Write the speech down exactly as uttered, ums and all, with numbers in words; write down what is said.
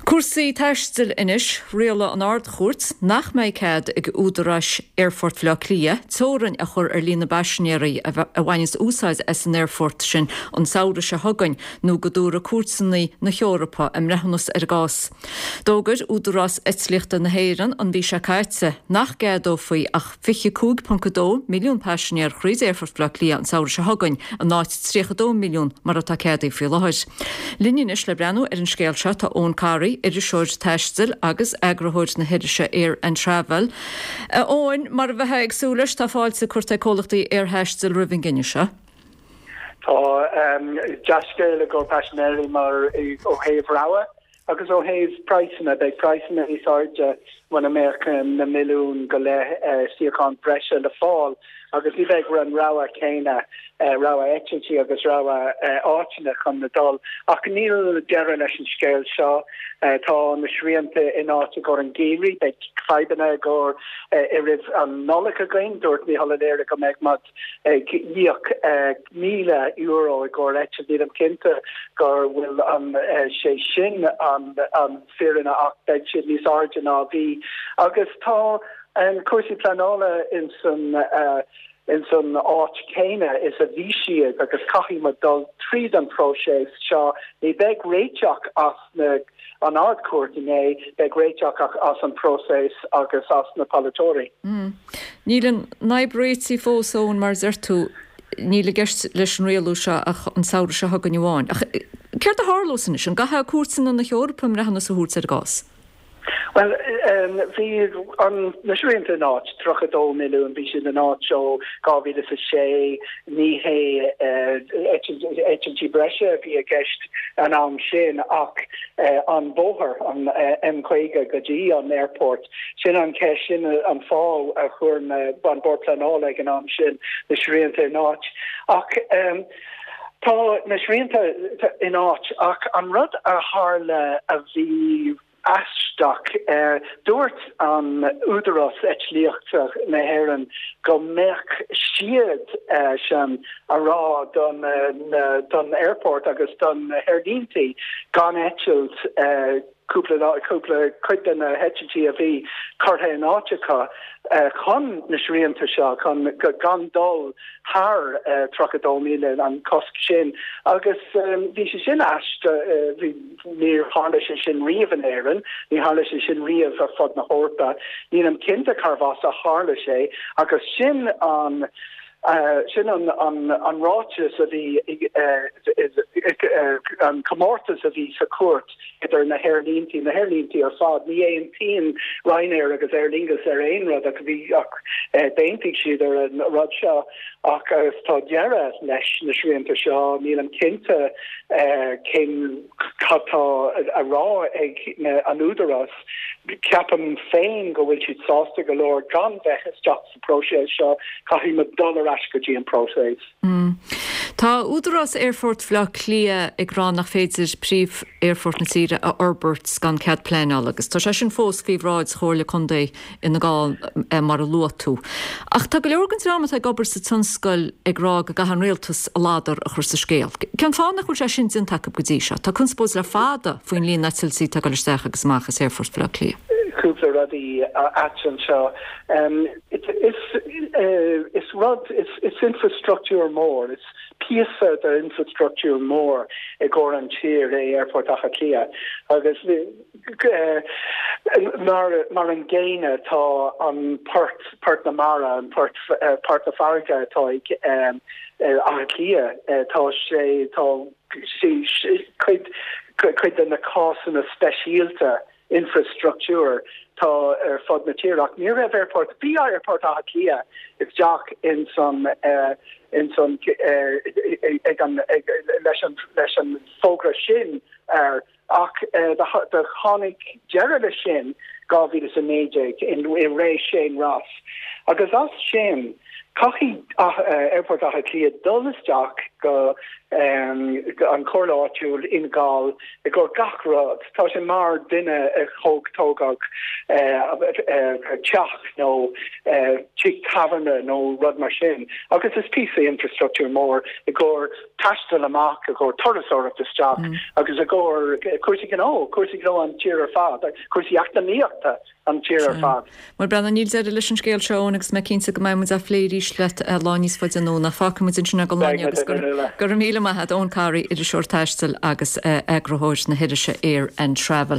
Cúrsaí taistil anois rialaigh an Ard-Chúirt nach mbeidh cead ag údaráis Aerfort Bhaile Átha Cliath teorainn a chur ar líon na bpaisinéirí a bhaineas úsáid as an aerfort sin an samhradh seo chugainn nó go dtabharfaidh cúirteanna na hEorpa a mbreithiúnas ar an gcás. D'fhógair Údarás Eitlíochta na hÉireann an mhí seo caite nach gceadófaí ach fiche cúig ponc dó milliún paisinéir thríd Aerfort Bhaile Átha Cliath an samhradh seo chugainn in áit tríocha dó milliún mar atá ceadaithe faoi láthair. Linn anois le breathnú ar an scéal seo tá Eoin Corry, iriseoir taistil agus eagarthóir na hirise Air and Travel. Eoin, mar a bheifeá ag súil leis tá fáilte curtha ag comhlachtaí aerthaistil roimh an gcinneadh seo. Tá um, dea-scéal i gcomhair paisinéirí mar ó thaobh rogha agus ó thaobh praghsanna beidh praghsanna níos airde muna mbeadh na milliún go leith uh, suíochán breise le fáil agus ní bheidh an rogha céanna uh, rogha eitiltí agus rogha uh, áiteanna chun na dul ach níl deireadh leis an scéal seo uh, tá na srianta in áit go an geimhreadh beidh fadhbanna go uh, i rith an Nollaig againn dúirt Micheál Ó Laoire go mbeidh muid ag íoc uh, míle euro i gcomhair eitilt nílim cinnte go bhfuil an uh, sé sin an an fírinne ach beidh siad níos airde ná bhí agus tá an cúrsaí pleanála in san uh, in san áit céanna is a bhí siad agus caithfidh muid dul tríd an próiseas seo ní bheidh réiteach as na an Ard-Chúirt inné beidh réiteach as an próiseas agus as na polaiteoirí. Mm. Níl an fhadhb réitithe fós ann mar deir tú níl i gceist leis an rialú seo ach an samhradh seo chugainn amháin. Ach céard a tharlós anois an gcaithfidh cúirteanna na hEorpa a mbreithiúnas a thabhairt ar an gcás. Well um, bhí an na srianta in áit tríocha dó milliún bhí siad in áit ó dhá mhíle a sé ní hé eitiltí breise bhí i gceist an am sin ach uh, an bóthar an uh, M caoga go dtí an airport sin an ceist sin an fáth a chuir an bord pleanála ag an am sin na srianta in áit ach um, Tá na srianta in áit ach an rud a tharla a bhí aisteach uh, dúirt an Údarás Eitlíochta na hÉireann go mbeadh siad uh, sin a rá don, uh, don airport agus don aerlíntí gan eitilt uh, cúpla cúpla cuid de na heitiltí a bhí curtha in áit acu uh, chun na srianta seo chun gan dul thar uh, tríocha dó míle an cosc sin agus um, bhí sé sin aisteach uh, níor tharla sé sin riamh in Éirinn ní tharla sé sin riamh ar fud na hEorpa nílim cinnte carbh as a tharla sé agus sin an Uh, sin an, an, an ráiteas a bhí uh, uh, an comórtas a bhí sa cúirt idir na haerlíntí na haerlíntí ar fad ní aontaíonn Ryanair agus Aer Lingus ar aon rud ach bhí ach d'aontaigh siad ar an rud seo ach agus tá deireadh leis na srianta seo nílim cinnte cén cad tá a rá ag an údarás ceapaim féin go bhfuil siad sásta go leor gan bheith isteach sa próiseas seo caithfidh muid dul ar ais go dtí an próiseas. Mm. Tá Údarás Aerfort Bhaile Átha Cliath ag rá nach féidir príomh-aerfort na tíre a fhorbairt gan cead pleanála agus tá sé sin fós faoi bhráid Chomhairle Contae Fhine Gall eh, mar a luaigh tú. Ach tá go leor den dream atá ag obair sa tionscal ag rá go gcaithfidh an rialtas a ladar a chur sa scéal. Cén fáth nach bhfuil sé sin déanta acu go dtí seo, Tá conspóid le fada faoin líon eitiltí atá ag dul isteach agus amach as Aerfort Bhaile Átha Cliath. Cúpla rudaí anseo. Um, is, uh, is rud is, is infrastructúr mór, is píosa de infrastructúr mór i gcomhair an tír é Aerfort Átha Cliath agus uh, mar mar an gcéanna tá an port port na mara an port uh, port na farraige atá ag um, uh, Átha Cliath uh, tá sé tá sé cuid cuid de na cásanna speisialta infrastructúr tá ar fud na tíre ach ní raibh airport bhí airport Átha Cliath isteach in san uh, in san uh, ag an ag, leis an leis an fógra sin ar ach uh, do tháinig deireadh le sin dhá mhíle a naoi déag in i ré Shane Ross agus as sin caithfidh uh, airport Átha Cliath dul isteach go um, an chomhairle áitiúil Fhine Gall i gcomhair gach rud. Tá sé mar duine a thóg tógadh teach nó teach tábhairne nó rud mar sin. Agus is píosa infrastructúr mór i gcomhair taisteal amach i gcomhair turasóireacht isteach mm. agus i gcomhair cúrsaí gnó, cúrsaí gnó an tír ar fad, cúrsaí eacnamaíochta an tír ar fad. Mar brená níl deireadh leis an scéal seo agus mé cinnte go mbeidh muid á phlé arís leat lá níos faide anonn fágfaidh muid ansin go láine agus go raibh míle maith agat Eoin Corry iriseoir taistil agus eagarthóir na hirise Air and Travel.